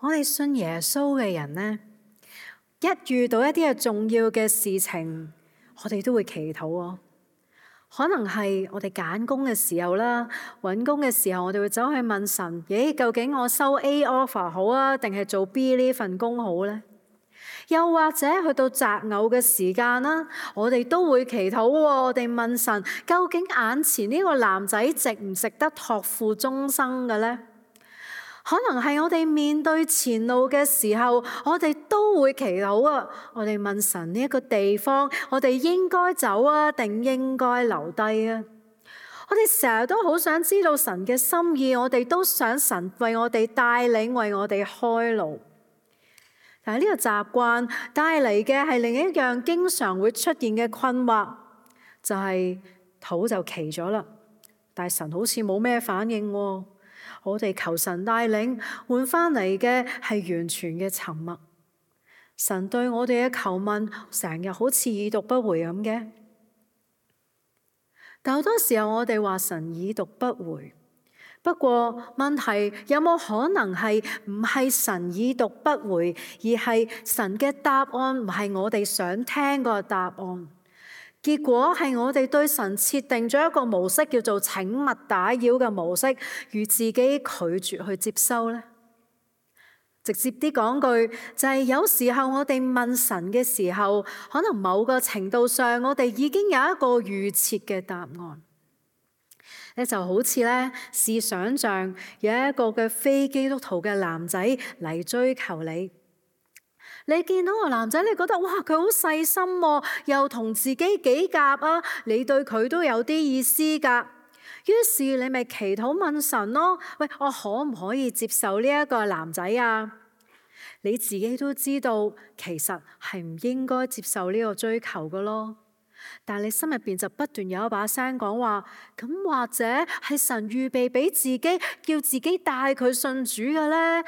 我哋信耶穌嘅人呢，一遇到一啲嘅重要嘅事情，我哋都會祈禱喎。可能係我哋揀工嘅時候啦，揾工嘅時候，我哋會走去問神：究竟我收 A offer 好啊，定係做 B 呢份工好呢？又或者去到擇偶嘅時間啦，我哋都會祈禱喎。我哋問神：究竟眼前呢個男仔值唔值得託付終生嘅呢？可能係我哋面對前路嘅時候，我哋都會祈禱啊！我哋問神，呢一個地方，我哋應該走啊，定應該留低啊？我哋成日都好想知道神嘅心意，我哋都想神為我哋帶領，為我哋開路。但係呢個習慣帶嚟嘅係另一樣經常會出現嘅困惑，就係禱就祈咗啦，但係神好似冇咩反應喎。我哋求神帶領，換翻嚟嘅係完全嘅沉默。神對我哋嘅求問，成日好似已讀不回咁嘅。但好多時候我哋話神已讀不回，不過問題有冇可能係唔係神已讀不回，而係神嘅答案唔係我哋想聽個答案？結果係我哋對神設定咗一個模式，叫做請勿打擾嘅模式，與自己拒絕去接收呢。直接啲講句，就係有時候我哋問神嘅時候，可能某個程度上我哋已經有一個預設嘅答案。咧就好似咧，試想像有一個嘅非基督徒嘅男仔嚟追求你。你見到個男仔，你覺得哇，佢好細心喎，又同自己幾夾啊，你對佢都有啲意思㗎。於是你咪祈禱問神咯，喂，我可唔可以接受呢一個男仔啊？你自己都知道，其實係唔應該接受呢個追求㗎咯。但係你心入邊就不斷有一把聲講話，咁或者係神預備俾自己，叫自己帶佢信主嘅咧？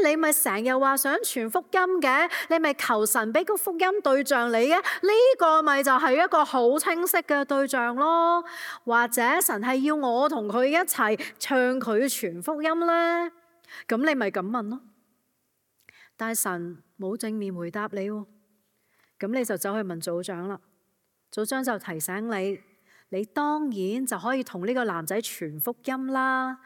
你咪成日話想傳福音嘅，你咪求神俾個福音對象你嘅，呢個咪就係一個好清晰嘅對象咯。或者神係要我同佢一齊唱佢傳福音咧？咁你咪咁問咯。但係神冇正面回答你喎，咁你就走去問組長啦。組長就提醒你，你當然就可以同呢個男仔傳福音啦，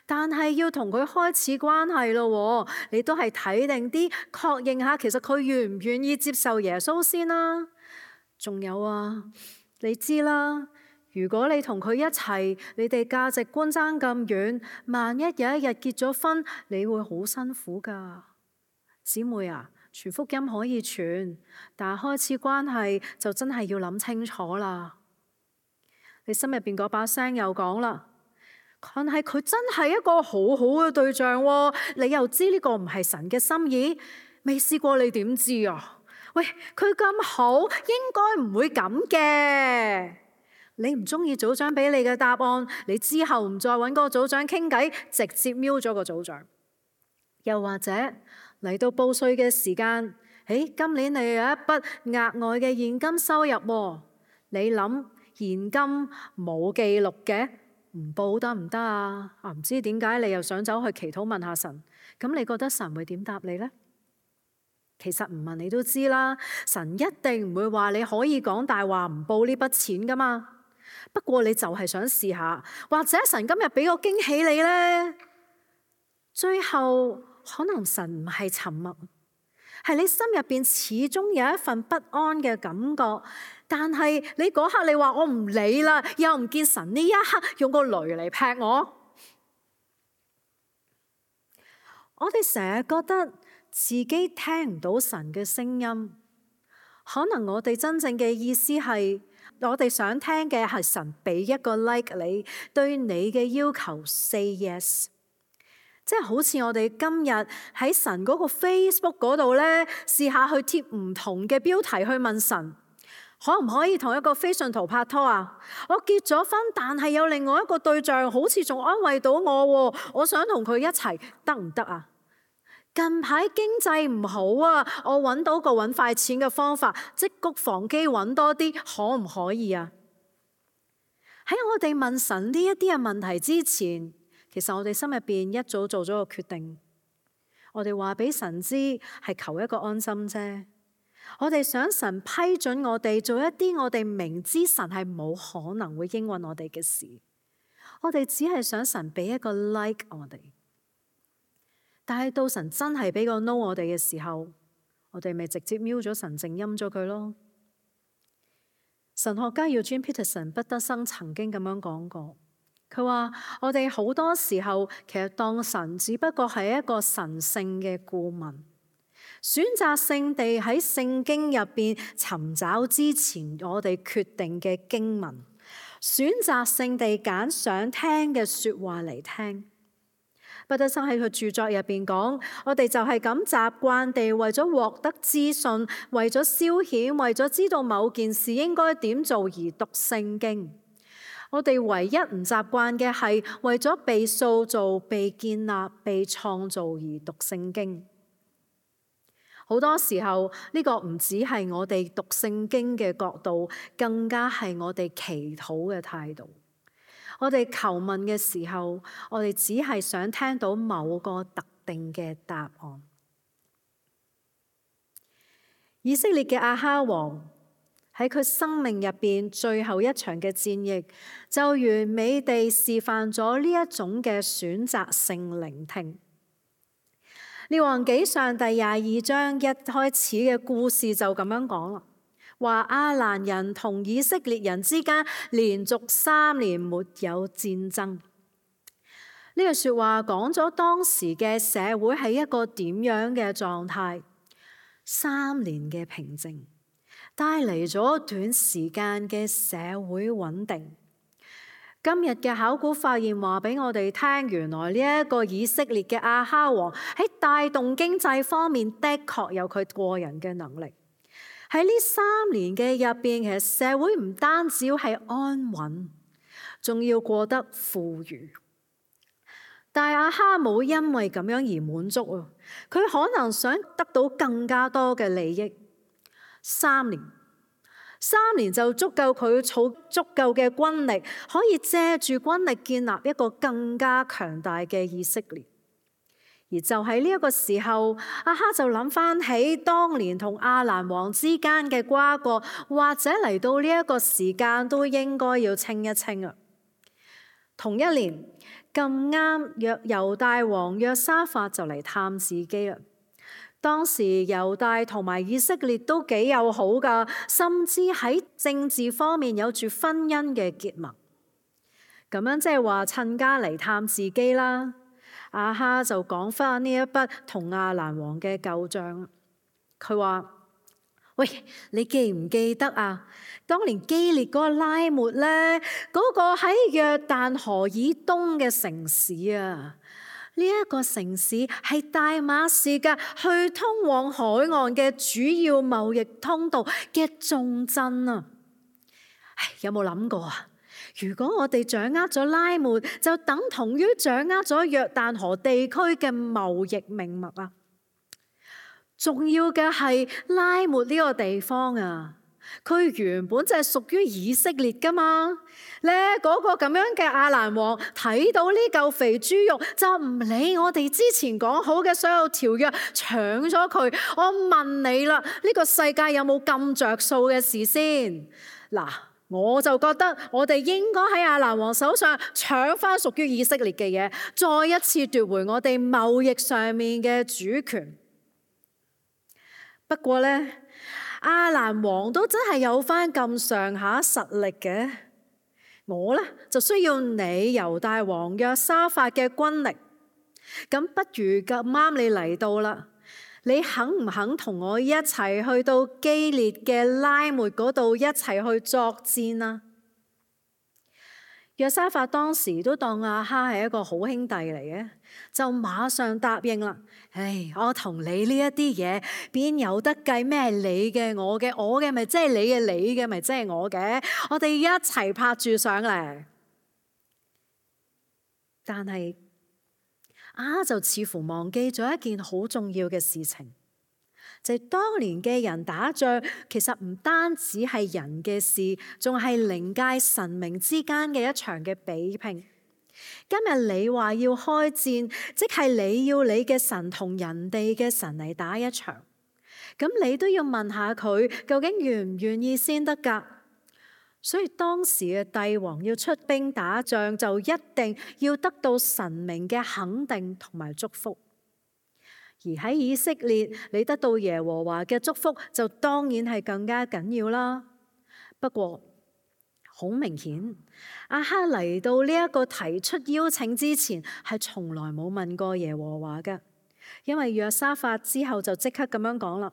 但係要同佢開始關係咯。你都係睇定啲，確認下其實佢願唔願意接受耶穌先啦。仲有啊，你知啦，如果你同佢一齊，你哋價值觀爭咁遠，萬一有一日結咗婚，你會好辛苦噶。姊妹啊，傳福音可以傳，但係開始關係就真係要諗清楚啦。你心入邊嗰把聲又講啦，但係佢真係一個好好嘅對象喎，你又知呢個唔係神嘅心意，未試過你點知啊？喂，佢咁好，應該唔會咁嘅。你唔中意組長俾你嘅答案，你之後唔再揾嗰個組長傾偈，直接瞄咗個組長。又或者嚟到報稅嘅時間，今年你有一筆額外嘅現金收入喎，你諗現金冇記錄嘅，唔報得唔得啊？唔知點解你又想走去祈禱問下神，咁你覺得神會點答你呢？其實唔問你都知啦，神一定唔會話你可以講大話唔報呢筆錢噶嘛。不過你就係想試下，或者神今日俾個驚喜你呢？最後可能神唔係沉默，係你心入邊始終有一份不安嘅感覺，但係你嗰刻你話我唔理啦，又唔見神呢一刻用個雷嚟劈我。我哋成日覺得自己聽唔到神嘅聲音，可能我哋真正嘅意思係，我哋想聽嘅係神俾一個 like 你，對你嘅要求 say yes。即係好似我哋今日喺神嗰個 Facebook 嗰度呢，試下去貼唔同嘅標題去問神，可唔可以同一個非信徒拍拖啊？我結咗婚，但係有另外一個對象，好似仲安慰到我喎，我想同佢一齊，得唔得啊？近排經濟唔好啊，我揾到個揾快錢嘅方法，積谷防饑揾多啲，可唔可以啊？喺我哋問神呢一啲嘅問題之前，其實我哋心入邊一早做咗個決定，我哋話俾神知係求一個安心啫。我哋想神批准我哋做一啲我哋明知神係冇可能會應允我哋嘅事。我哋只係想神俾一個 like 我哋。但係到神真係俾個 no 我哋嘅時候，我哋咪直接瞄咗神，靜音咗佢咯。神學家Eugene Peterson 畢德生曾經咁樣講過，佢話我哋好多時候其實當神只不過係一個神聖嘅顧問，選擇性地喺聖經入邊尋找之前我哋決定嘅經文，選擇性地揀想聽嘅說話嚟聽。畢德生喺佢著作入邊講，我哋就係咁習慣地為咗獲得資訊，為咗消遣，為咗知道某件事應該點做而讀聖經。我哋唯一唔習慣嘅係為咗被塑造、被建立、被創造而讀聖經。好多時候呢個唔只係我哋讀聖經嘅角度，更加係我哋祈禱嘅態度。我哋求問嘅時候，我哋只係想聽到某個特定嘅答案。以色列嘅亞哈王喺佢生命入邊最後一場嘅戰役，就完美地示範咗呢一種嘅選擇性聆聽。列王紀上第22章一開始嘅故事就咁樣講啦。話亞蘭人同以色列人之間連續3年沒有戰爭。呢句說話講咗當時嘅社會係一個點樣嘅狀態。3年嘅平靜帶嚟咗短時間嘅社會穩定。今日嘅考古發現話俾我哋聽，原來呢一個以色列嘅亞哈王喺帶動經濟方面的確有佢過人嘅能力。喺呢3年嘅入邊，其實社會唔單止係安穩，仲要過得富裕。但亞哈冇因為咁樣而滿足啊！佢可能想得到更加多嘅利益。3年就足夠佢儲足夠嘅軍力，可以借住軍力建立一個更加強大嘅以色列。而就喺呢一個時候，亞哈就諗翻起當年同亞蘭王之間嘅瓜葛，或者嚟到呢一個時間都應該要清一清啊。同一年咁啱，猶大王約沙法就嚟探自己啦。當時猶大同埋以色列都幾友好噶，甚至喺政治方面有住婚姻嘅結盟。咁樣即係話趁家嚟探自己啦。亞哈就講翻呢一筆同亞蘭王嘅舊賬。佢話：喂，你記唔記得啊？當年基列嗰個拉末呢，嗰個喺約旦河以東嘅城市啊，呢一個城市係大馬士革去通往海岸嘅主要貿易通道嘅重鎮啊！有冇諗過啊？如果我哋掌握咗拉末，就等同於掌握咗約旦河地區嘅貿易命脈啊！重要嘅係拉末呢個地方啊，佢原本就係屬於以色列噶嘛。咧嗰個咁樣嘅亞蘭王睇到呢嚿肥豬肉，就唔理我哋之前講好嘅所有條約，搶咗佢。我問你啦，呢個世界有冇咁着數嘅事先？嗱，我就覺得我哋應該喺亞蘭王手上搶翻屬於以色列嘅嘢，再一次奪回我哋貿易上面嘅主權。不過呢，亞蘭王都真係有翻咁上下實力嘅。我呢，就需要你猶大王約沙法嘅軍力。咁不如咁啱你嚟到啦，你肯唔肯同我一齊去到基列嘅拉末嗰度一齊去作戰啊？約沙法當時都當亞哈係一個好兄弟嚟嘅，就馬上答應啦。我同你呢一啲嘢邊有得計咩？你嘅我嘅，我嘅咪即係你嘅，你嘅咪即係我嘅，我哋一齊拍住上嚟。但係亞哈就似乎忘記咗一件好重要嘅事情，就係當年嘅人打仗，其實唔單止係人嘅事，仲係靈界神明之間嘅一場嘅比拼。今日你話要開戰，即係你要你嘅神同人哋嘅神嚟打一場，咁你都要問下佢究竟願唔願意先得㗎。所以當時嘅帝王要出兵打仗，就一定要得到神明嘅肯定同埋祝福。而喺以色列，你得到耶和華嘅祝福，就當然係更加緊要啦。不過好明顯，亞哈嚟到呢一個提出邀請之前，係從來冇問過耶和華嘅，因為約沙法之後就即刻咁樣講啦。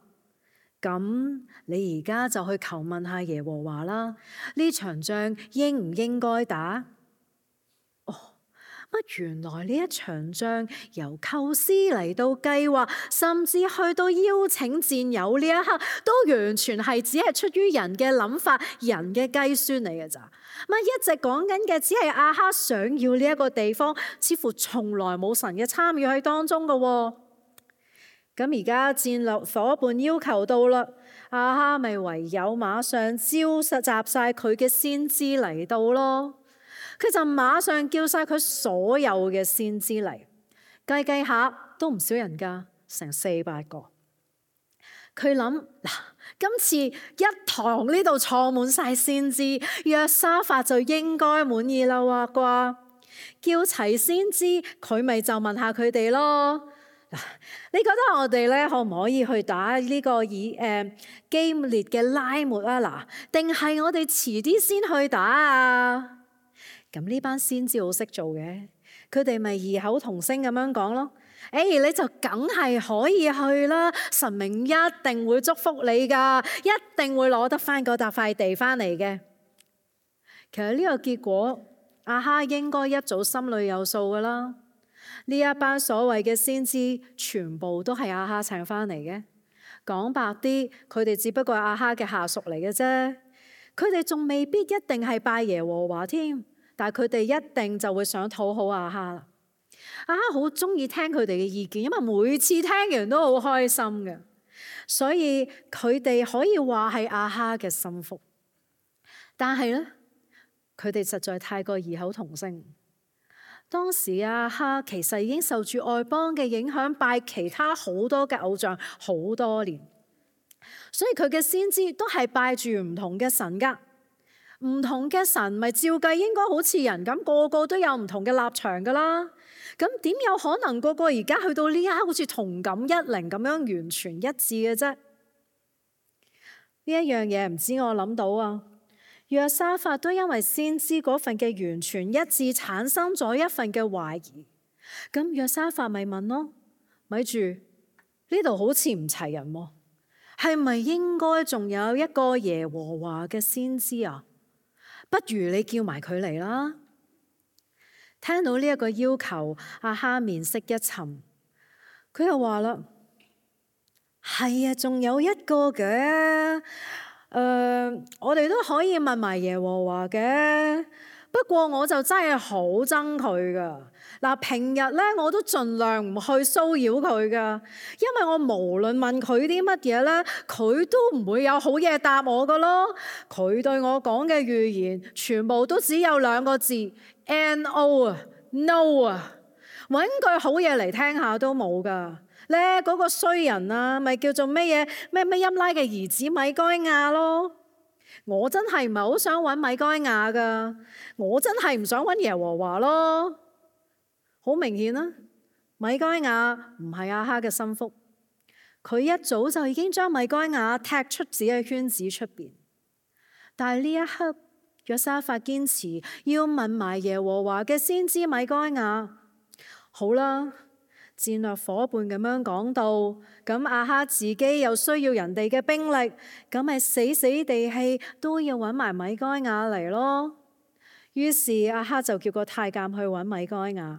咁你而家就去求問下耶和華啦，呢場仗應唔應該打？原來呢一場仗由構思嚟到計劃，甚至去到邀請戰友呢一刻，都完全係只係出於人嘅諗法、人嘅計算嚟嘅咋？一直講緊嘅只係亞哈想要呢一個地方，似乎從來冇神嘅參與喺當中嘅。咁而家戰略夥伴要求到啦，亞哈咪唯有馬上召集晒佢嘅先知嚟到咯。佢就馬上叫晒佢所有嘅先知嚟，計下都唔少人㗎，成400個。佢諗嗱，今次一堂呢度坐滿晒先知，約沙法就應該滿意啦啩？叫齊先知，佢咪就問下佢哋咯。你覺得我哋咧可唔可以去打呢個基列嘅拉末啊？定係我哋遲啲先去打啊？咁呢班先知好識做嘅，佢哋咪異口同聲咁樣講咯。你就梗係可以去啦，神明一定會祝福你噶，一定會攞得翻嗰塊地翻嚟嘅。其實呢個結果，亞哈應該一早心裏有數噶啦。呢一班所謂嘅先知，全部都係亞哈請翻嚟嘅。講白啲，佢哋只不過係亞哈嘅下屬嚟嘅啫。佢哋仲未必一定係拜耶和華添，但係佢哋一定就會想討好亞哈啦。亞哈好中意聽佢哋嘅意見，因為每次聽完都好開心嘅，所以佢哋可以話係亞哈嘅心腹。但係咧，佢哋實在太過異口同聲。當時亞哈其實已經受住外邦嘅影響，拜其他好多嘅偶像好多年，所以佢嘅先知都係拜住唔同嘅神噶。唔同嘅神咪照計應該好似人咁，個個都有唔同嘅立場噶啦。咁點有可能個個而家去到呢一刻好似同感一靈咁樣完全一致嘅啫？呢一樣嘢唔知我諗到啊。約沙法都因為先知嗰份嘅完全一致，產生咗一份嘅懷疑。咁約沙法咪問咯，咪住呢度好似唔齊人喎，係咪應該仲有一個耶和華嘅先知啊？不如你叫埋佢嚟啦。聽到呢一個要求，亞哈面色一沉，佢又話啦：係啊，仲有一個嘅。我哋都可以問埋耶和華嘅，不過我就真係好憎佢噶。嗱，平日咧我都盡量唔去騷擾佢噶，因為我無論問佢啲乜嘢咧，佢都唔會有好嘢答我噶咯。佢對我講嘅預言全部都只有2個字 NO 啊 ，no 啊，揾句好嘢嚟聽下都冇噶。咧嗰個衰人啊，咪叫做咩嘢咩音拉嘅兒子米該亞咯。我真係唔係好想揾米該亞噶，我真係唔想揾耶和華咯。好明顯啦，米該亞唔係亞哈嘅心腹，佢一早就已經將米該亞踢出自己嘅圈子出邊。但係呢一刻，約沙法堅持要問埋耶和華嘅先知米該亞。好啦。戰略夥伴咁樣講到，咁亞哈自己又需要人哋嘅兵力，咁咪死死地氣都要揾埋米該亞嚟咯。於是亞哈就叫個太監去揾米該亞。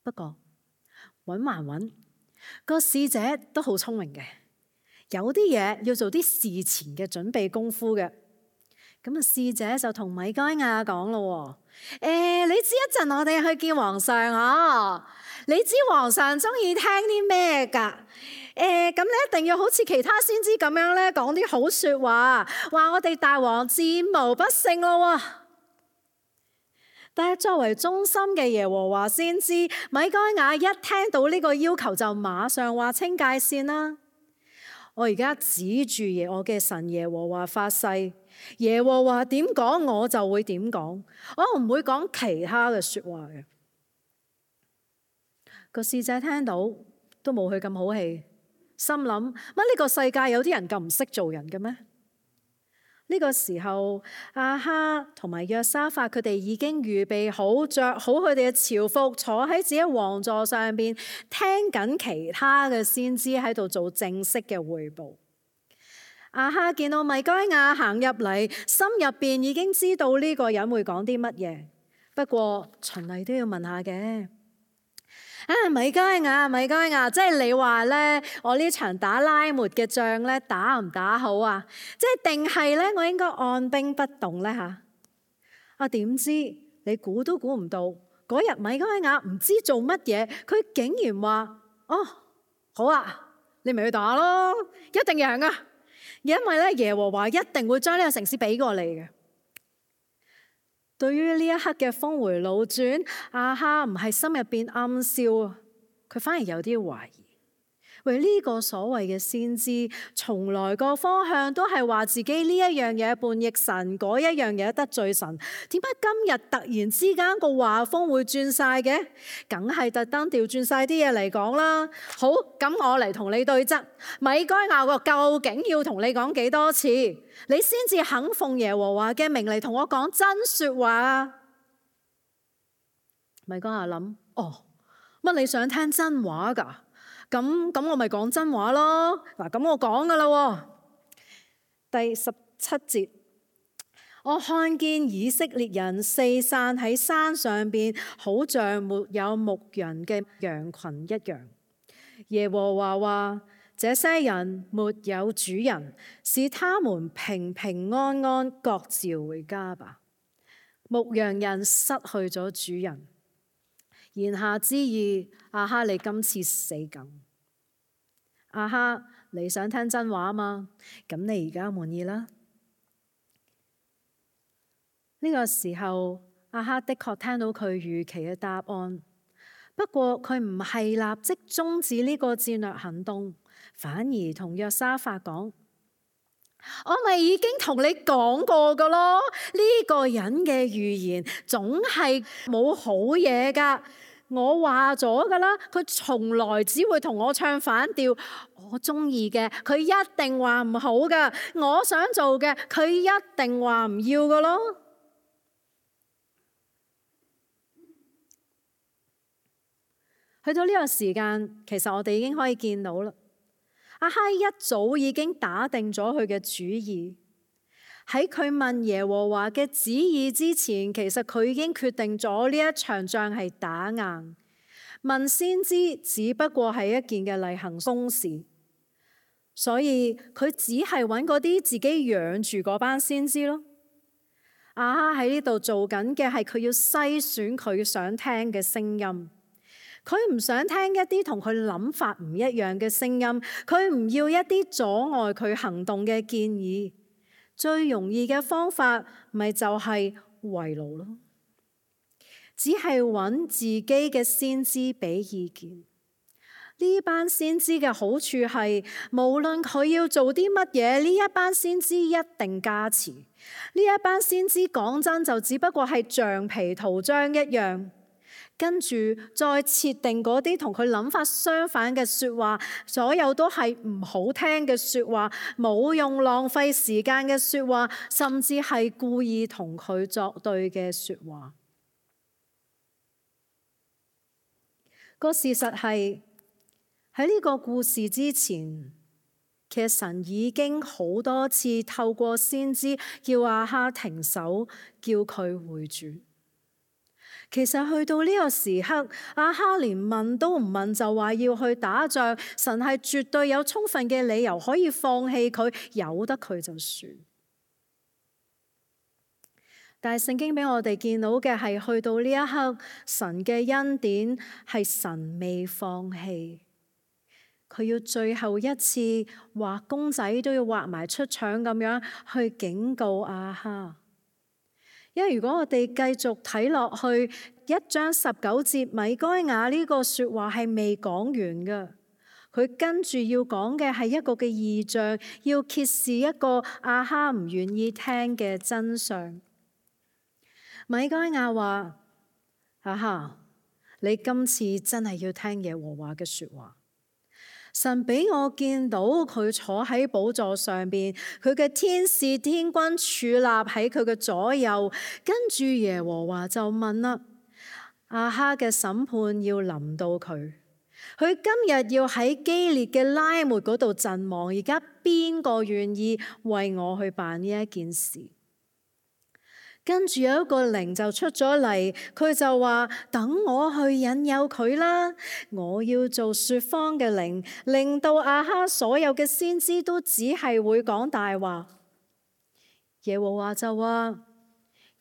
不過揾還揾，個使者都好聰明嘅，有啲嘢要做啲事前嘅準備功夫嘅。咁啊，使者就同米該亞講咯，你知一陣我哋去見皇上啊？你知皇上中意聽啲咩噶？咁你一定要好似其他先知咁樣咧，講啲好說話，話我哋大王戰無不勝咯。但係作為忠心嘅耶和華先知，米該雅一聽到呢個要求就馬上劃清界線啦。我而家指住我嘅神耶和華發誓，耶和華點講我就會點講，我唔會講其他嘅說話嘅。個使者聽到都冇佢咁好氣，心諗乜呢個世界有啲人咁唔識做人嘅咩？呢個時候，亞哈同埋約沙法佢哋已經預備好，着好佢哋嘅朝服，坐喺自己王座上邊，聽緊其他嘅先知喺度做正式嘅匯報。亞哈見到米該雅行入嚟，心入邊已經知道呢個人會講啲乜嘢，不過循例都要問下嘅。米該雅，即係你話咧，我呢場打拉末嘅仗咧，打唔打好啊？即係定係咧，我應該按兵不動咧吓？點知你估都估唔到，嗰日米該雅唔知做乜嘢，佢竟然話：哦，好啊，你咪去打咯，一定贏啊！因為咧，耶和華一定會將呢個城市俾過你嘅。對於呢一刻嘅峰回路轉，亞哈唔係心入邊暗笑，佢反而有啲懷疑。喂，呢個所謂嘅先知，從來個方向都係話自己呢一樣嘢叛逆神，嗰一樣嘢得罪神。點解今日突然之間個畫風會轉晒嘅？梗係特登調轉晒啲嘢嚟講啦。好，咁我嚟同你對質。米該雅個究竟要同你講幾多次，你先至肯奉耶和華嘅名嚟同我講真說話啊？米該雅諗：哦，乜你想聽真話噶？咁我咪講真話咯。嗱，咁我講噶啦。第17節，我看見以色列人四散喺山上邊，好像沒有牧人嘅羊群一樣。耶和華話：這些人沒有主人，使他們平平安安各自回家吧。牧羊人失去咗主人，言下之意，亞哈你今次死梗。亞哈，你想聽真話嘛？咁你而家滿意啦。呢個時候，亞哈的確聽到佢預期嘅答案，不過佢唔係立即終止呢個戰略行動，反而同約沙法講：我咪已經同你講過噶咯，呢個人嘅預言總係冇好嘢噶。我話咗噶啦，佢從來只會同我唱反調。我中意嘅，佢一定話唔好噶；我想做嘅，佢一定話唔要噶咯。去到呢個時間，其實我哋已經可以見到啦。亞哈一早已經打定咗佢嘅主意。喺佢問耶和華嘅旨意之前，其實佢已經決定咗呢一場仗係打硬。問先知只不過係一件嘅例行公事，所以佢只係揾嗰啲自己養住嗰班先知咯。亞哈喺呢度做緊嘅係佢要篩選佢想聽嘅聲音，佢唔想聽一啲同佢諗法唔一樣嘅聲音，佢唔要一啲阻礙佢行動嘅建議。最容易嘅方法咪就係圍爐咯，只係揾自己嘅先知俾意見。呢班先知嘅好處係，無論佢要做啲乜嘢，呢一班先知一定加持。呢一班先知講真就只不過係橡皮圖章一樣。跟住再設定嗰啲同佢諗法相反嘅說話，所有都係唔好聽嘅說話，冇用浪費時間嘅說話，甚至係故意同佢作對嘅說話。個事實係喺呢個故事之前，其實神已經好多次透過先知叫亞哈停手，叫佢回轉。其實去到呢個時刻，亞哈連問都唔問就話要去打仗，神係絕對有充分嘅理由可以放棄佢，由得佢就算。但係聖經俾我哋見到嘅係，去到呢一刻，神嘅恩典係神未放棄，佢要最後一次畫公仔都要畫埋出腸咁樣去警告亞哈。因為如果我哋繼續睇落去1章19節，米該亞呢個說話係未講完嘅，佢跟住要講嘅係一個嘅異象，要揭示一個亞哈唔願意聽嘅真相。米該亞話：亞哈，你今次真係要聽耶和華嘅說話。神俾我見到佢坐喺寶座上邊，佢嘅天使天軍矗立喺佢嘅左右，跟住耶和華就問啦：亞哈嘅審判要臨到佢，佢今日要喺基列嘅拉末嗰度陣亡，而家邊個願意為我去辦呢一件事？跟住有一個靈就出咗嚟，佢就話：等我去引誘佢啦！我要做說謊嘅靈，令到亞哈所有嘅先知都只係會講大話。耶和華就話：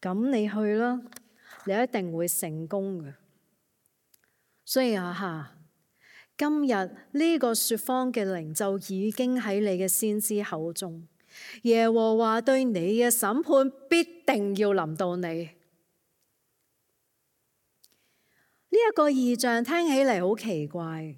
咁你去啦，你一定會成功嘅。所以亞哈，今日呢個說謊嘅靈就已經喺你嘅先知口中。耶和華對你嘅審判必定要臨到你。呢一個異象聽起嚟好奇怪，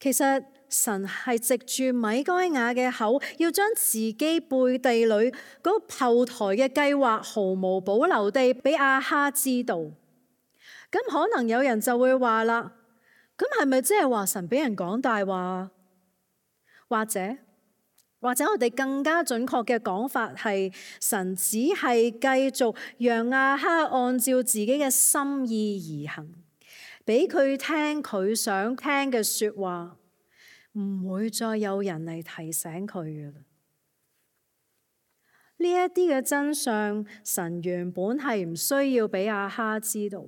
其實神係藉住米該亞嘅口，要將自己背地裏嗰個後台嘅計劃毫無保留地俾亞哈知道。咁可能有人就會話啦，咁係咪即係話神俾人講大話？或者我哋更加準確嘅講法係，神只係繼續讓亞哈按照自己嘅心意而行，俾佢聽佢想聽嘅說話，唔會再有人嚟提醒佢嘅啦。呢一啲嘅真相，神原本係唔需要俾亞哈知道。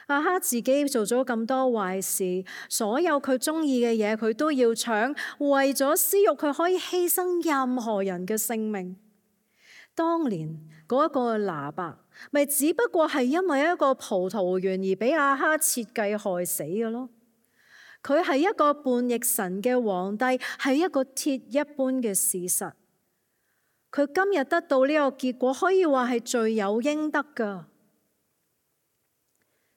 亞哈自己做咗咁多壞事，所有佢中意嘅嘢佢都要搶，為咗私欲佢可以犧牲任何人嘅性命。當年嗰一個拿伯，咪只不過係因為一個葡萄園而俾亞哈設計害死嘅咯。佢係一個叛逆神嘅皇帝，係一個鐵一般嘅事實。佢今日得到呢個結果，可以話係罪有應得噶。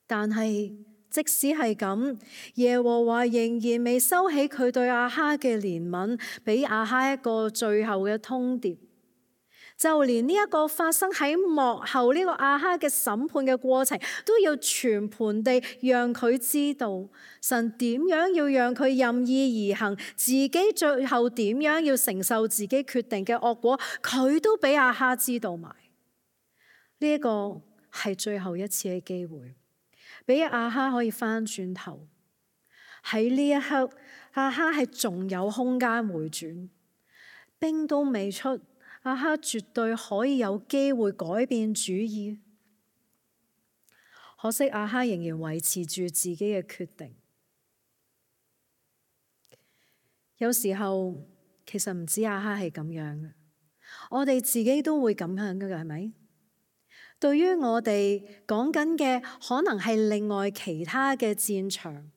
但係即使係咁，耶和華仍然未收起佢對亞哈嘅憐憫，俾亞哈一個最後嘅通牒。就連呢一個發生喺幕後呢個亞哈嘅審判嘅過程，都要全盤地讓佢知道神點樣要讓佢任意而行，自己最後點樣要承受自己決定嘅惡果，佢都俾亞哈知道埋。呢一個係最後一次嘅機會，俾亞哈可以翻轉頭。喺呢一刻，亞哈係仲有空間回轉，兵都未出，亞哈絕對可以有機會改變主意。可惜亞哈仍然維持住自己嘅決定。有時候其實唔止亞哈係咁樣嘅，我哋自己都會咁樣嘅，係咪？對於我哋講緊嘅，可能係另外其他嘅戰場，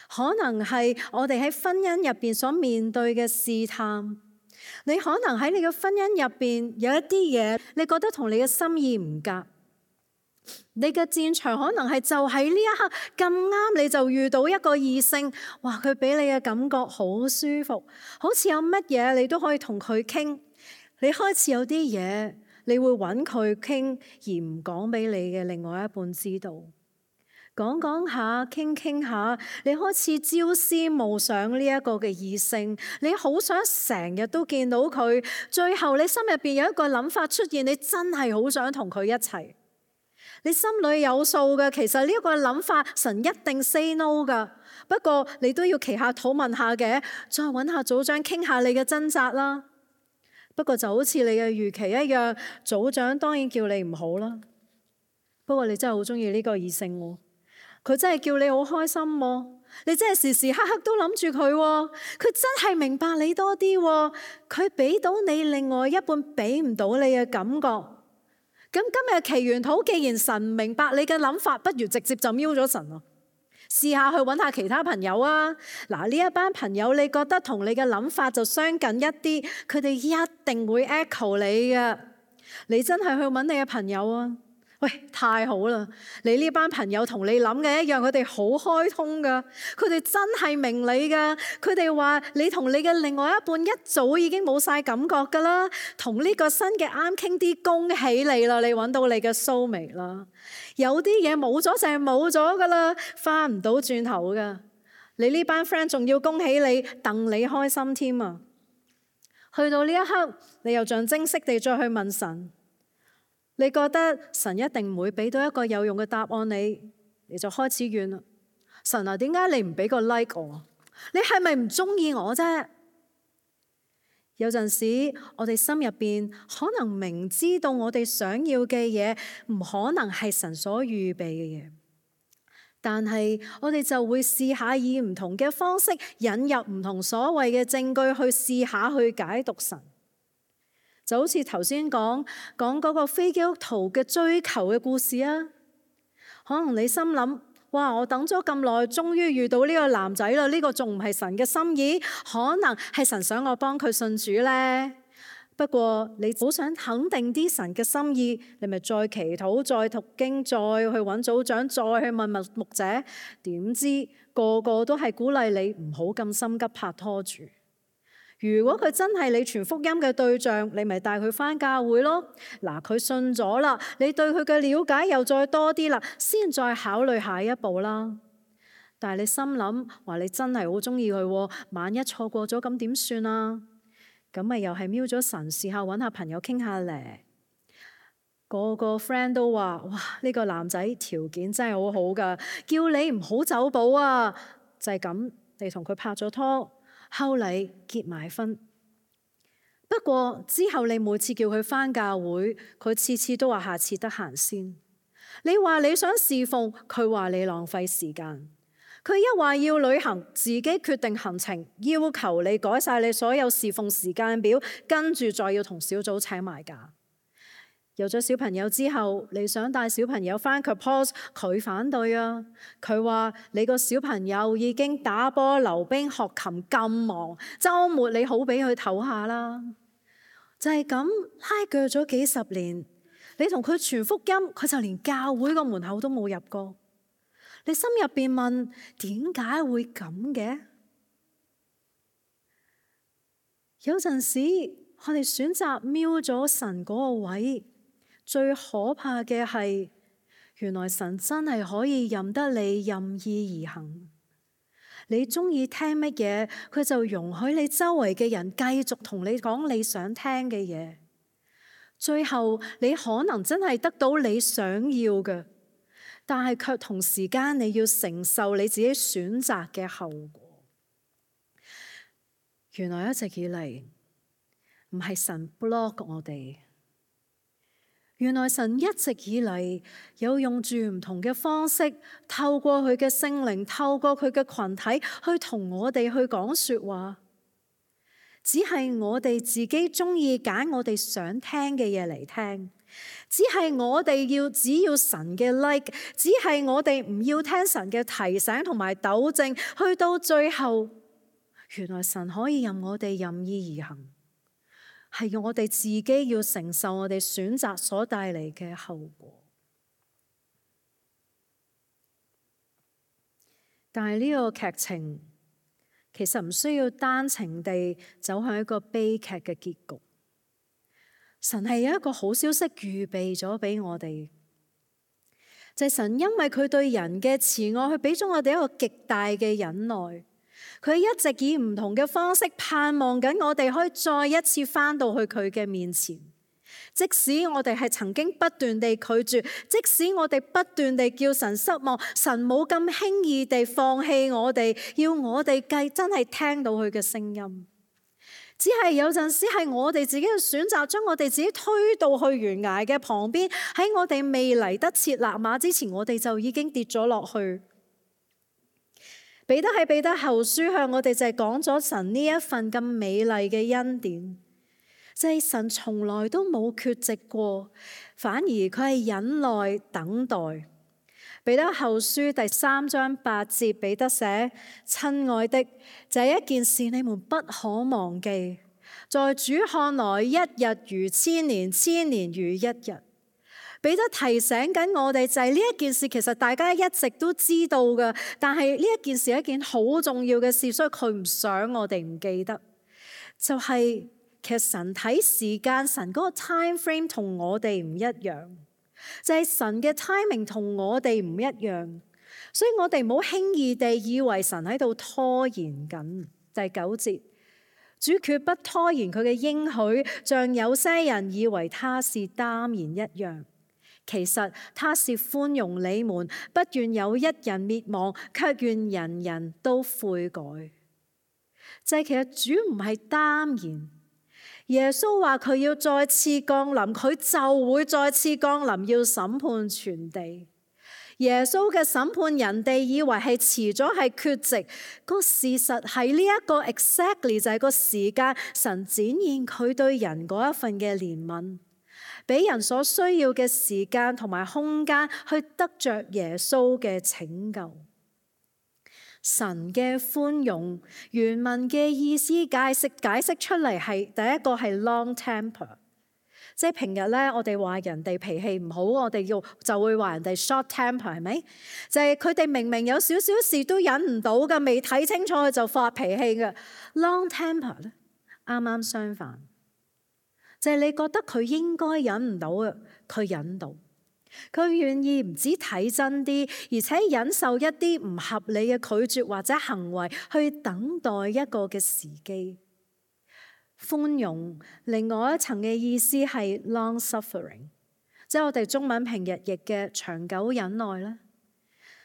可能係我哋喺婚姻入邊所面對嘅試探。你可能喺你嘅婚姻入邊有一啲嘢，你覺得同你嘅心意唔夾。你嘅戰場可能係就喺呢一刻咁啱，你就遇到一個異性，哇！佢俾你嘅感覺好舒服，好似有乜嘢你都可以同佢傾。你開始有啲嘢，你會揾佢傾，而唔講俾你嘅另外一半知道。講講下，傾傾下，你開始朝思暮想呢一個嘅異性，你好想成日都見到佢。最後你心入邊有一個諗法出現，你真係好想同佢一齊。你心裏有數嘅，其實呢一個諗法，神一定 say no 噶。不過你都要祈下禱問下嘅，再揾下組長傾下你嘅掙扎啦。不過就好似你嘅預期一樣，組長當然叫你唔好啦。不過你真係好中意呢個異性喎。佢真係叫你好開心喎，你真係時時刻刻都諗住佢喎，佢真係明白你多啲喎，佢俾到你另外一半俾唔到你嘅感覺。咁今日祈完禱，既然神唔明白你嘅諗法，不如直接就瞄咗神咯。試下去揾下其他朋友啊！嗱，呢一班朋友你覺得同你嘅諗法就相近一啲，佢哋一定會 echo 你嘅。你真係去揾你嘅朋友啊！喂，太好啦！你呢班朋友同你諗嘅一樣，佢哋好開通噶，佢哋真係明你噶。佢哋話你同你嘅另外一半一早已經冇晒感覺噶啦，同呢個新嘅啱傾啲，恭喜你啦！你揾到你嘅蘇眉啦。有啲嘢冇咗就係冇咗噶啦，翻唔到轉頭噶。你呢班 friend 仲要恭喜你，戥你開心添啊！去到呢一刻，你又象徵式地再去問神。你覺得神一定唔會俾到一個有用嘅答案你就開始怨啦。神啊，點解你唔俾個 like 我？你係咪唔中意我啫？有陣時我哋心入邊可能明知道我哋想要嘅嘢唔可能係神所預備嘅嘢，但係我哋就會試下以唔同嘅方式引入唔同所謂嘅證據去試下去解讀神。就好似頭先講嗰個非基督徒嘅追求嘅故事啊，可能你心諗，哇！我等咗咁耐，終於遇到呢個男仔啦，呢個仲唔係神嘅心意？可能係神想我幫佢信主呢。不過你好想肯定啲神嘅心意，你咪再祈禱、再讀經、再去揾組長、再去問牧者。點知個個都係鼓勵你唔好咁心急拍拖住。如果佢真係你傳福音嘅對象，你咪帶佢返教會咯。嗱，佢信咗啦，你對佢嘅了解又再多啲啦，先再考慮下一步啦。但係你心諗話你真係好中意佢，萬一錯過咗咁點算啊？咁咪又係瞄咗神，試下揾下朋友傾下咧。個個 friend 都話：哇，呢個男仔條件真係好好噶，叫你唔好走寶啊！就係咁，你同佢拍咗拖。後嚟結埋婚，不過之後你每次叫佢返教會，佢次次都話下次得閒先。你話你想侍奉，佢話你浪費時間。佢一話要旅行，自己決定行程，要求你改晒你所有侍奉時間表，跟住再要同小組請埋假。有咗小朋友之後，你想帶小朋友返 Corpus， 佢反對啊！佢話你個小朋友已經打波、溜冰、學琴咁忙，週末你好俾佢唞下啦。就係咁拉鋸咗幾十年，你同佢傳福音，佢就連教會個門口都冇入過。你心入邊問，點解會咁嘅？有陣時我哋選擇瞄咗神嗰個位。最可怕嘅係，原來神真係可以任得你任意而行。你中意聽乜嘢，佢就容許你周圍嘅人繼續同你講你想聽嘅嘢。最後你可能真係得到你想要嘅，但係卻同時間你要承受你自己選擇嘅後果。原來一直以嚟唔係神 block 我哋。原來神一直以嚟有用住唔同嘅方式，透過佢嘅聖靈，透過佢嘅群體去同我哋去講說話。只係我哋自己中意揀我哋想聽嘅嘢嚟聽，只係我哋只要神嘅 like， 只係我哋唔要聽神嘅提醒同埋糾正。去到最後，原來神可以任我哋任意而行。係我哋自己要承受我哋選擇所帶嚟嘅後果。但係呢個劇情其實唔需要單程地走向一個悲劇嘅結局。神係有一個好消息預備咗俾我哋，就係神因為佢對人嘅慈愛，佢俾咗我哋一個極大嘅忍耐。佢一直以唔同嘅方式盼望緊我哋可以再一次返到去佢嘅面前，即使我哋係曾經不斷地拒絕，即使我哋不斷地叫神失望，神冇咁輕易地放棄我哋，要我哋真係聽到佢嘅聲音。只係有陣時係我哋自己嘅選擇，將我哋自己推到去懸崖嘅旁邊，喺我哋未嚟得切立馬之前，我哋就已經跌咗落去。彼得喺彼得後書向我哋就係講咗神呢一份咁美麗嘅恩典，就係神從來都冇缺席過，反而佢係忍耐等待。彼得後書第3章8節，彼得寫：親愛的，這一件事你們不可忘記，在主看來，一日如千年，千年如一日。彼得提醒緊我哋就係呢一件事，其實大家一直都知道嘅，但係呢一件事係一件好重要嘅事，所以佢唔想我哋唔記得。就係其實神睇時間，神嗰個 time frame 同我哋唔一樣，就係神嘅 timing 同我哋唔一樣，所以我哋唔好輕易地以為神喺度拖延緊。第9節，主決不拖延佢嘅應許，像有些人以為他是耽延一樣。其實他是寬容你們，不願有一人滅亡，卻願人人都悔改。就係其實主唔係耽延，耶穌話佢要再次降臨，佢就會再次降臨，要審判全地。耶穌嘅審判，人哋以為係遲咗，係缺席，個事實係呢一個 exactly 就係個時間，神展現佢對人嗰一份嘅憐憫，俾人所需要嘅時間同埋空間去得着耶穌嘅拯救。神嘅寬容，原文嘅意思解釋出嚟係第一個係 long temper， 即係平日咧我哋話人哋脾氣唔好，我哋就會話人哋 short temper， 係咪？就係佢哋明明有少少事都忍唔到嘅，未睇清楚佢就發脾氣嘅。long temper 咧啱啱相反。就係你覺得佢應該忍唔到嘅，佢忍到，佢願意唔止睇真啲，而且忍受一啲唔合理嘅拒絕或者行為，去等待一個嘅時機。寬容另外一層嘅意思係 long suffering， 即係我哋中文平日譯嘅長久忍耐啦。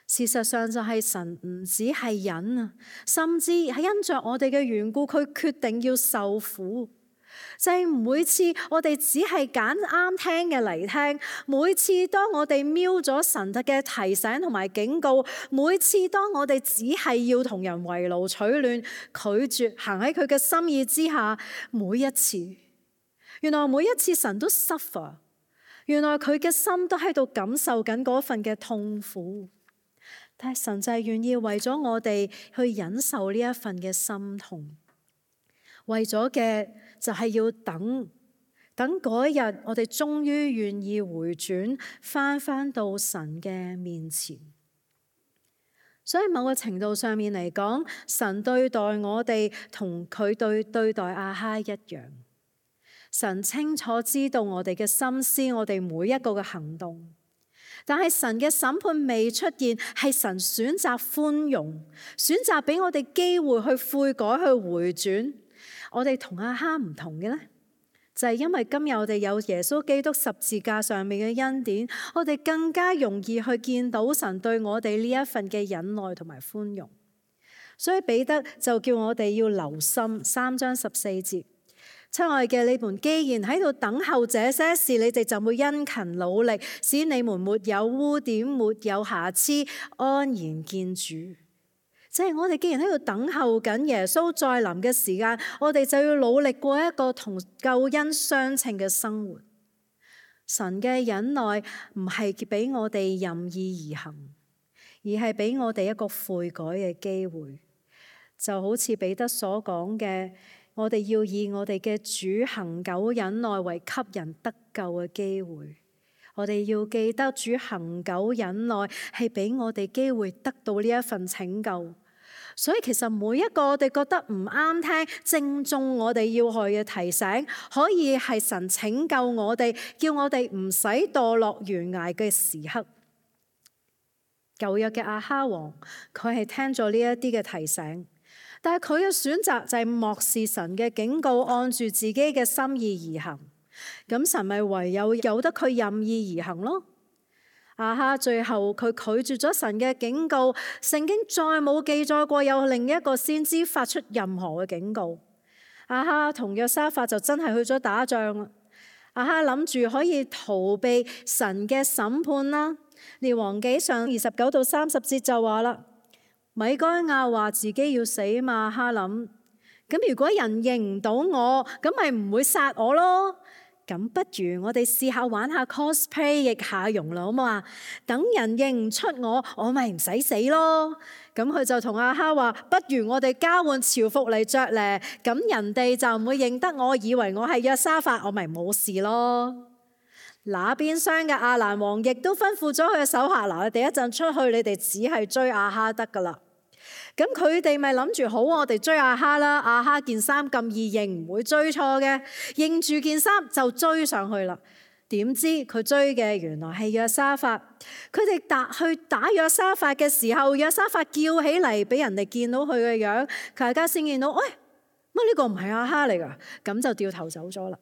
事實上就係神唔止係忍啊，甚至係因着我哋嘅緣故，佢決定要受苦。就係每次我哋只係揀啱聽嘅嚟聽，每次當我哋瞄咗神嘅提醒同埋警告，每次當我哋只係要同人圍爐取暖，拒絕行喺佢嘅心意之下，每一次，原來每一次神都 suffer， 原來佢嘅心都喺度感受緊嗰份嘅痛苦，但係神就係願意為咗我哋去忍受呢一份嘅心痛。為咗嘅就係要等嗰一日，我哋終於願意回轉，翻到神嘅面前。所以某個程度上面嚟講，神對待我哋同佢對待亞哈一樣。神清楚知道我哋嘅心思，我哋每一個嘅行動。但係神嘅審判未出現，係神選擇寬容，選擇俾我哋機會去悔改，去回轉。我哋同亞哈唔同嘅呢，就係因為今日我哋有耶穌基督十字架上面嘅恩典，我哋更加容易去見到神對我哋呢一份嘅忍耐同埋寬容。所以彼得就叫我哋要留心3章14節，親愛嘅，你們既然喺度等候這些事，你哋就會殷勤努力，使你們沒有污點，沒有瑕疵，安然見主。即係我哋既然喺度等候緊耶穌再臨嘅時間，我哋就要努力過一個同救恩相稱嘅生活。神嘅忍耐唔係俾我哋任意而行，而係俾我哋一個悔改嘅機會。就好似彼得所講嘅，我哋要以我哋嘅主恆久忍耐為給人得救嘅機會。我哋要記得主恆久忍耐係俾我哋機會得到呢一份拯救。所以其實每一個我哋覺得唔啱聽，正中我哋要害嘅提醒，可以係神拯救我哋，叫我哋唔使墮落懸崖嘅時刻。舊約嘅亞哈王，佢係聽咗呢一啲嘅提醒，但係佢嘅選擇就係漠視神嘅警告，按住自己嘅心意而行。咁神咪唯有由得佢任意而行咯。亞哈最後佢拒絕咗神嘅警告，聖經再冇記載過有另一個先知發出任何嘅警告。亞哈同約沙法就真係去咗打仗啦。亞哈諗住可以逃避神嘅審判啦。列王紀上29到30節就話啦，米該亞話自己要死嘛，亞哈諗，咁如果人認唔到我，咁咪唔會殺我咯。咁不如我哋試下玩下 cosplay 易下容啦，好冇啊？等人認唔出我咪唔使死咯。咁佢就同亞哈話：不如我哋交換朝服嚟着咧，咁人哋就唔會認得我，以為我係約沙法，我咪冇事咯。那邊廂嘅亞蘭王亦都吩咐咗佢嘅手下：嗱，你哋一陣出去，你哋只係追亞哈得噶啦。咁佢哋咪諗住好，我哋追亞哈啦。亞哈件衫咁易認，唔會追錯嘅，認住件衫就追上去啦。點知佢追嘅原來係約沙法。佢哋去打約沙法嘅時候，約沙法叫起嚟，俾人哋見到佢嘅樣，大家先見到，喂，乜呢個唔係亞哈嚟噶？咁就掉頭走咗啦。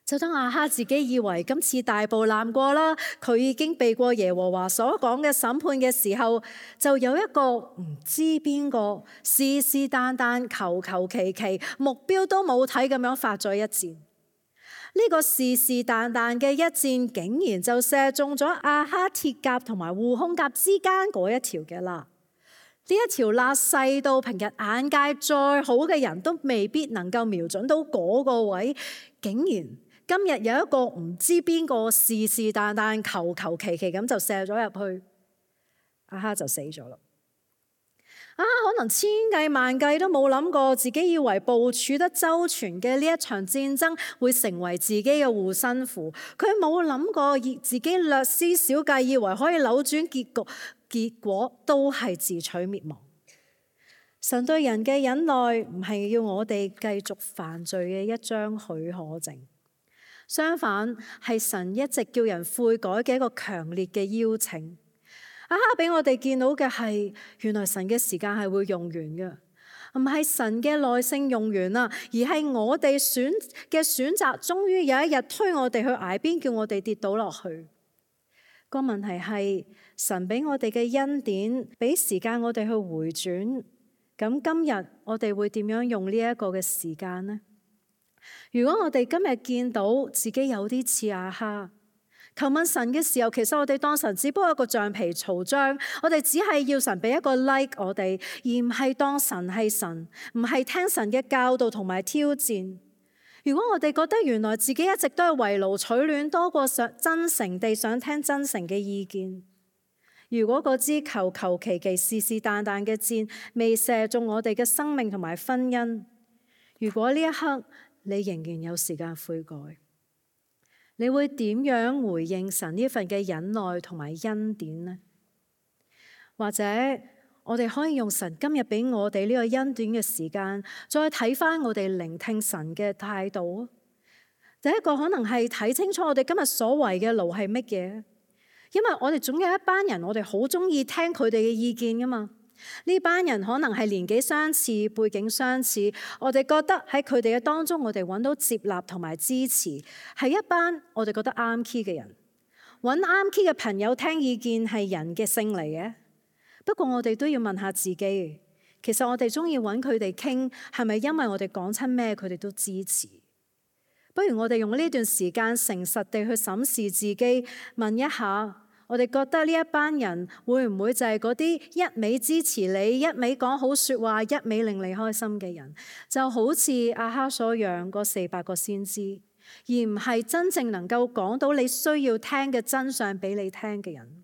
就當亞哈自己以為今次大步檻過啦，佢已經避過耶和華所講嘅審判嘅時候，就有一個唔知邊個是是但但求求其其，目標都冇睇咁樣發咗一箭。呢個是是但但嘅一箭，竟然就射中咗亞哈鐵甲同埋護胸甲之間嗰一條嘅罅。呢一條罅細到平日眼界再好嘅人都未必能夠瞄準到嗰個位，竟然今日有一個唔知邊個是是但但求求其其咁就射咗入去，亞哈就死咗啦。亞哈可能千計萬計都冇諗過，自己以為部署得周全嘅呢一場戰爭會成為自己嘅護身符。佢冇諗過自己略施小計，以為可以扭轉結局，結果都係自取滅亡。神對人嘅忍耐唔係要我哋繼續犯罪嘅一張許可證。相反，係神一直叫人悔改嘅一個強烈嘅邀請。亞哈俾我哋見到嘅係，原來神嘅時間係會用完嘅，唔係神嘅耐性用完啦，而係我哋選擇，終於有一日推我哋去崖邊，叫我哋跌倒落去。個問題係，神俾我哋嘅恩典，俾時間我哋去回轉。咁今日我哋會點樣用呢一個嘅時間呢？如果我哋今日見到自己有啲似亞哈，求問神嘅時候，其實我哋當神只不過一個橡皮圖章，我哋只係要神俾一個 like 我哋，而唔係當神係神，唔係聽神嘅教導同埋挑戰。如果我哋覺得原來自己一直都係圍爐取暖，多過真誠地想聽真誠嘅意見，如果嗰支求求其其是是但但嘅箭未射中我哋嘅生命同埋婚姻，如果呢一刻你仍然有時間悔改，你會點樣回應神呢份嘅忍耐同埋恩典呢？或者我哋可以用神今日俾我哋呢個恩典嘅時間，再睇翻我哋聆聽神嘅態度。第一個可能係睇清楚我哋今日所為嘅勞係乜嘢，因為我哋總有一班人，我哋好中意聽佢哋嘅意見噶嘛。呢班人可能係年紀相似、背景相似，我哋覺得喺佢哋嘅當中，我哋揾到接納同埋支持，係一班我哋覺得啱 key 嘅人。揾啱 key 嘅朋友聽意見係人嘅性嚟嘅。不過我哋都要問下自己，其實我哋中意揾佢哋傾，係咪因為我哋講親咩佢哋都支持？不如我哋用呢段時間誠實地去審視自己，問一下。我哋覺得呢一班人會唔會就係嗰啲一味支持你、一味講好說話、一味令你開心嘅人？就好似亞哈所養嗰400個先知，而唔係真正能夠講到你需要聽嘅真相俾你聽嘅人。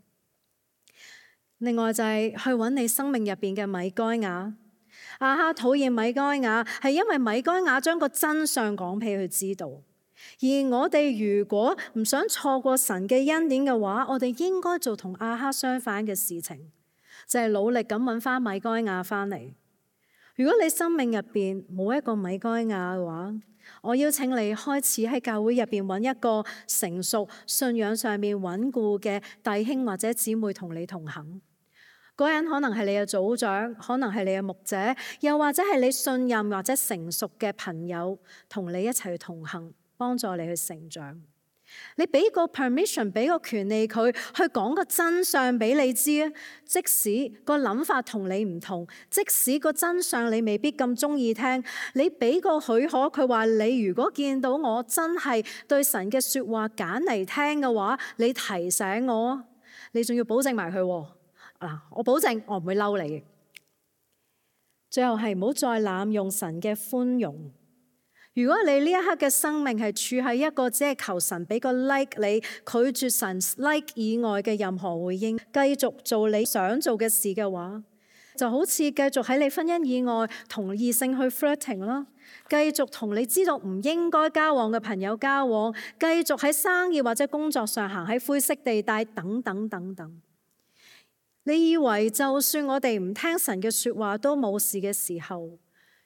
另外就係去揾你生命入邊嘅米該亞。亞哈討厭米該亞，係因為米該亞將個真相講俾佢知道。而我哋如果唔想錯過神嘅恩典嘅話，我哋應該做同亞哈相反嘅事情，就係努力咁揾翻米該亞翻嚟。如果你生命入邊冇一個米該亞嘅話，我邀請你開始喺教會入邊揾一個成熟、信仰上面穩固嘅弟兄或者姊妹同你同行。嗰人可能係你嘅組長，可能係你嘅牧者，又或者係你信任或者成熟嘅朋友，同你一齊同行，幫助你去成長。你俾個 permission， 俾個權利佢去講個真相俾你知啊。即使個諗法同你唔同，即使個真相你未必咁中意聽，你俾個許可佢話，你如果見到我真係對神嘅說話揀嚟聽嘅話，你提醒我，你仲要保證埋佢嗱，我保證我唔會嬲你。最後係唔好再濫用神嘅寬容。如果你呢一刻嘅生命係處喺一個只係求神俾個 like 你，拒絕神 like 以外嘅任何回應，繼續做你想做嘅事嘅話，就好似繼續喺你婚姻以外同異性去 flirting 啦，繼續同你知道唔應該交往嘅朋友交往，繼續喺生意或者工作上行喺灰色地帶等等等等。你以為就算我哋唔聽神嘅說話都冇事嘅時候，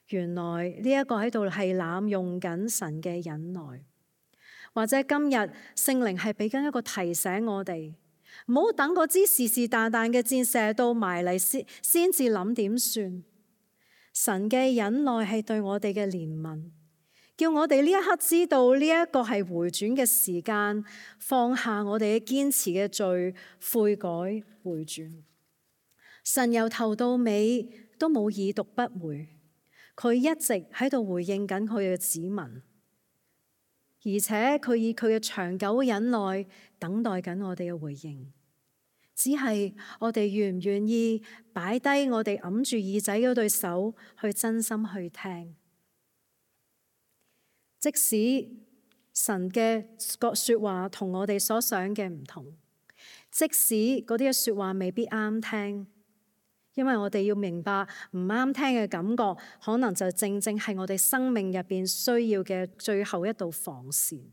原來呢一個喺度係濫用緊神嘅忍耐，或者今日聖靈係俾緊一個提醒我哋，唔好等嗰支是是但但嘅箭射到埋嚟先至諗點算。神嘅忍耐係對我哋嘅憐憫，叫我哋呢一刻知道呢一個係回轉嘅時間，放下我哋嘅堅持嘅罪，悔改回轉。神由頭到尾都冇已讀不回。佢一直喺度回應緊佢嘅子民，而且佢以佢嘅長久忍耐等待緊我哋嘅回應。只係我哋願唔願意擺低我哋揞住耳仔嗰對手，去真心去聽。即使神嘅說話同我哋所想嘅唔同，即使嗰啲嘅說話未必啱聽。因為我哋要明白，唔啱聽嘅感覺，可能就正正係我哋生命入邊需要嘅最後一道防線。